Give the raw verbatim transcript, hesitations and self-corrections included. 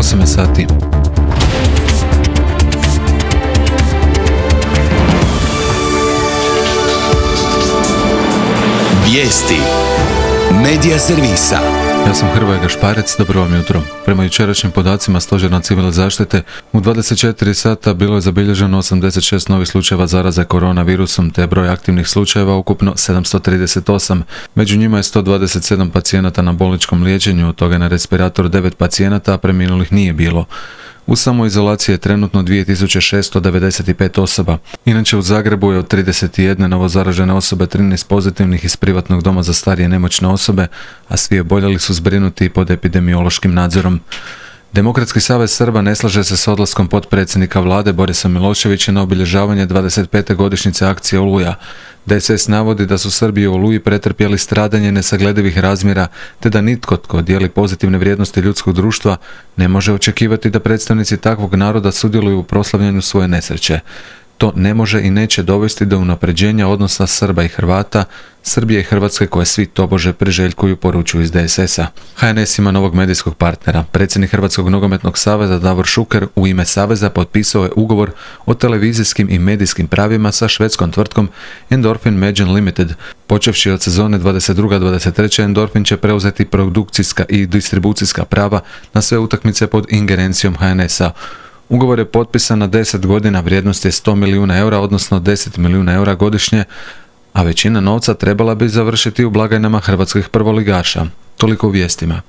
osam sati. Vijesti Medija servisa. Ja sam Hrvoje Gašparec, dobro vam jutro. Prema jučerašnjim podacima Stožera civilne zaštite, u dvadeset četiri sata bilo je zabilježeno osamdeset šest novih slučajeva zaraze koronavirusom, te broj aktivnih slučajeva ukupno sedamsto trideset osam. Među njima je sto dvadeset sedam pacijenata na bolničkom liječenju, od toga na respiratoru devet pacijenata, a preminulih nije bilo. U samoizolaciji je trenutno dvije tisuće šesto devedeset pet osoba. Inače u Zagrebu je od trideset jedne novozaražene osobe trinaest pozitivnih iz privatnog doma za starije nemoćne osobe, a svi oboljeli su zbrinuti pod epidemiološkim nadzorom. Demokratski savez Srba ne slaže se s odlaskom potpredsjednika vlade Borisa Miloševića na obilježavanje dvadeset pete godišnjice akcije Oluja. D S S navodi da su Srbi u Oluji pretrpjeli stradanje nesagledivih razmjera, te da nitko tko dijeli pozitivne vrijednosti ljudskog društva ne može očekivati da predstavnici takvog naroda sudjeluju u proslavljanju svoje nesreće. To ne može i neće dovesti do unapređenja odnosa Srba i Hrvata, Srbije i Hrvatske koje svi tobože priželjkuju, poručuju iz D S S-a. H N S ima novog medijskog partnera. Predsjednik Hrvatskog nogometnog saveza Davor Šuker u ime saveza potpisao je ugovor o televizijskim i medijskim pravima sa švedskom tvrtkom Endorfin Media Limited. Počevši od sezone dvadeset druga dvadeset treća Endorfin će preuzeti produkcijska i distribucijska prava na sve utakmice pod ingerencijom H N S-a. Ugovor je potpisan na deset godina, vrijednost je sto milijuna eura, odnosno deset milijuna eura godišnje, a većina novca trebala bi završiti u blagajnama hrvatskih prvoligaša. Toliko u vijestima.